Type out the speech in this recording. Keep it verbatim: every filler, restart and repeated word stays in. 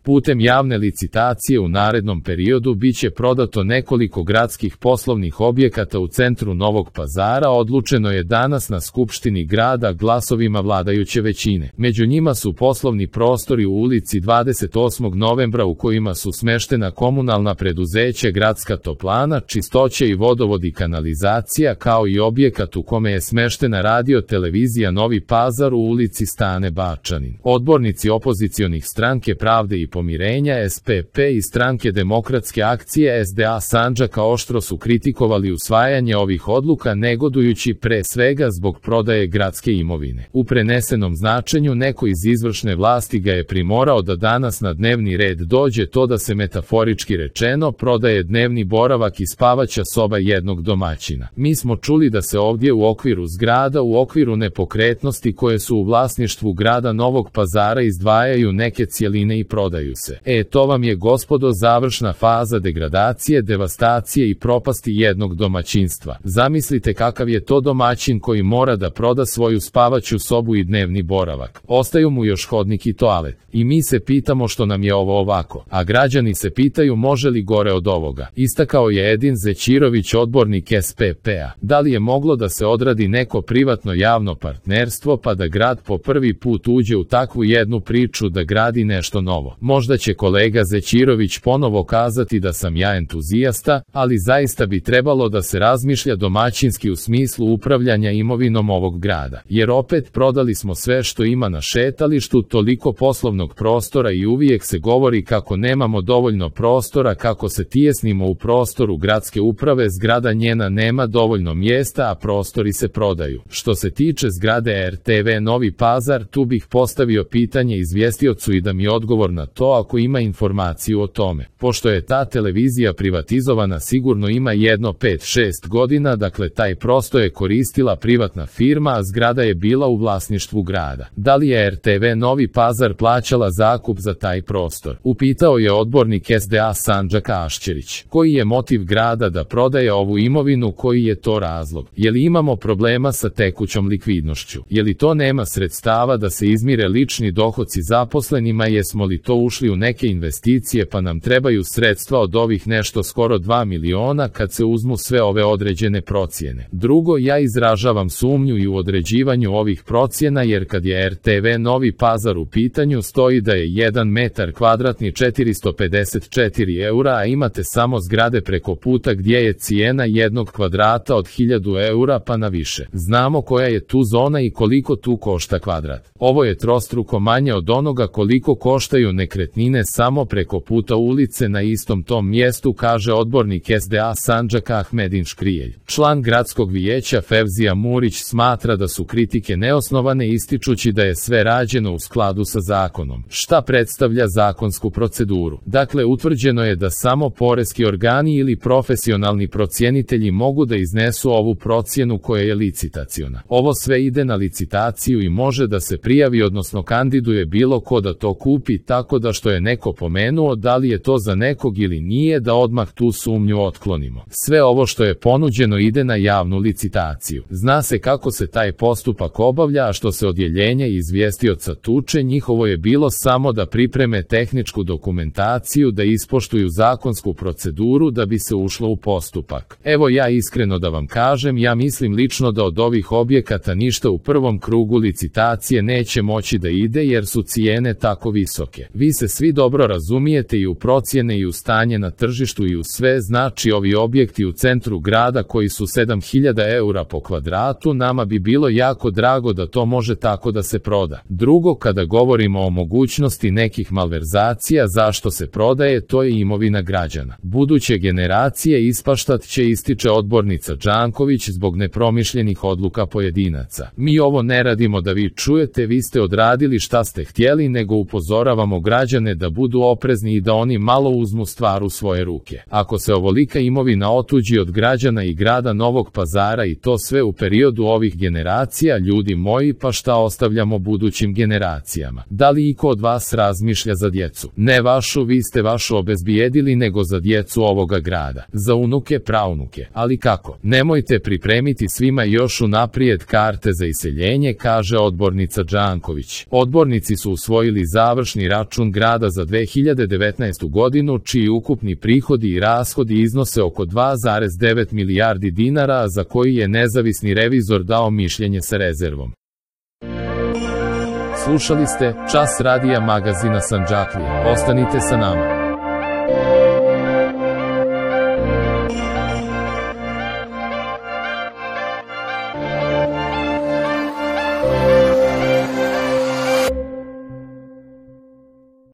Putem javne licitacije u narednom periodu biće prodato nekoliko gradskih poslovnih objekata u centru Novog Pazara, odlučeno je danas na Skupštini grada glasovima vladajuće većine. Među njima su poslovni prostori u ulici dvadeset osmog novembra u kojima su smeštena komunalna preduzeća Gradska toplana, čistoće i vodovod i kanalizacija, kao i objekat u kome je smeštena radio televizija Novi Pazar u ulici Stane Bačanin. Odbornici opozicionih Stranke pravde i pomirenja S P P i Stranke demokratske akcije S D A Sandžaka oštro su kritikovali usvajanje ovih odluka, negodujući pre svega zbog prodaje gradske imovine. U prenesenom značenju neko iz izvršne vlasti ga je primorao da danas na dnevni red dođe to da se metaforički rečeno prodaje dnevni boravak i spavaća soba jednog domaćina. Mi smo čuli da se ovdje u okviru zgrada, u okviru nepokretnosti koje su u vlasništvu grada Novog Pazara izdvajaju neke cjeline i prodaju se. E, to vam je, gospodo, završna faza degradacije, devastacije i propasti jednog domaćinstva. Zamislite kakav je to domaćin koji mora da proda svoju spavaću sobu i dnevni boravak. Ostaju mu još hodnik i toalet. I mi se pitamo što nam je ovo ovako. A građani se pitaju može li gore od ovoga. Istakao je Edin Zećirović, odbornik S P P-a. Da li je moglo da se odradi neko privatno javno partnerstvo pa da grad po prvi put uđe u takvu jednu priču da gradi nešto novo? Možda će kolega Zećirović ponovo kazati da sam ja entuzijasta, ali zaista bi trebalo da se razmišlja domaćinski u smislu upravljanja imovinom ovog grada. Jer opet prodali smo sve što ima na šetalištu, toliko poslovnog prostora i uvijek se govori kako nemamo dovoljno prostora, kako se tijesnimo u prostoru gradske uprave, zgrada njena nema dovoljno mjesta, a prostori se prodaju. Što se tiče zgrade R T V Novi Pazar, tu bih postavio pitanje izvjestiocu i da mi odgovor na to ako ima informaciju o tome. Pošto je ta televizija privatizovana sigurno ima jedno pet šest godina, dakle taj prostor je koristila privatna firma, a zgrada je bila u vlasništvu grada. Da li je R T V Novi Pazar plaćala zakup za taj prostor? Upitao je odbornik S D A Sandžaka Ašćerić. Koji je motiv grada da prodaje ovu imovinu, koji je to razlog? Je li imamo problema sa tekućom likvidnošću? Je li to nema sredstava da se izmire lični dohoci zaposlenima? Jesmo li to ušli u neke investicije pa nam trebaju sredstva od ovih nešto skoro dva miliona kad se uzmu sve ove određene procjene? Drugo, ja izražavam sumnju i u određivanju ovih procjena, jer kad je R T V Novi Pazar u pitanju stoji da je jedan metar kvadratni četiristo pedeset četiri eura, a imate samo zgrade preko puta gdje je cijena jednog kvadrata od hiljadu eura pa na više. Znamo koja je tu zona i koliko tu košta kvadrat. Ovo je trostruko manje od onoga koliko koštaju nekretnine samo preko puta ulice na istom tom mjestu, kaže odbornik S D A Sandžaka Ahmedin Škrijelj. Član gradskog vijeća Fevzija Murić smatra da su kritike neosnovane, ističući da je sve rađeno u skladu sa zakonom. Šta predstavlja zakonsku proceduru? Dakle, utvrđeno je da samo poreski organi ili profesionalni procjenitelji mogu da iznesu ovu procjenu koja je licitaciona. Ovo sve ide na licitaciju i može da se prijavi, odnosno kandiduje bilo ko da to kupi, tako da što je neko pomenuo da li je to za nekog ili nije, da odmah tu sumnju otklonimo. Sve ovo što je ponuđeno ide na javnu licitaciju. Zna se kako se taj postupak obavlja, a što se odjeljenja i izvjestioca tuče, njihovo je bilo samo da pripreme tehničku dokumentaciju, da ispoštuju zakonsku proceduru da bi se ušlo u postupak. Evo, ja iskreno da vam kažem, ja mislim lično da od ovih objekata ništa u prvom krugu licitacije neće moći da ide jer su cijene tako visoke. Vi se svi dobro razumijete i u procjene i u stanje na tržištu i u sve, znači ovi objekti u centru grada koji su sedam hiljada eura po kvadratu, nama bi bilo jako drago da to može tako da se proda. Drugo, kada govorimo o mogućnosti nekih malverzacija, zašto se prodaje, to je imovina građana. Buduće generacije ispaštat će, ističe odbornica Đanković, zbog nepromišljenih odluka pojedinaca. Mi ovo ne radimo da vi čujete, vi ste odradili šta ste htjeli, nego upozoravamo građane da budu oprezni i da oni malo uzmu stvar u svoje ruke. Ako se ovolika imovina otuđi od građana i grada Novog Pazara i to sve u periodu ovih generacija, ljudi moji, pa šta ostavljamo budućim generacijama? Da li iko od vas razmišlja za djecu? Ne vašu, vi ste vašu obezbijedili, nego za djecu ovoga grada. Za unuke, praunuke. Ali kako? Nemojte pripremiti svima još unaprijed karte za iseljenje, kaže odbornica Đanković. Odbornici su usvojili završni račun grada za dve hiljade devetnaestu godinu, čiji ukupni prihodi i rashodi iznose oko dva zarez devet milijardi dinara, a za koji je nezavisni revizor dao mišljenje sa rezervom. Slušali ste Čas radija magazina Sandžaklija. Ostanite sa nama.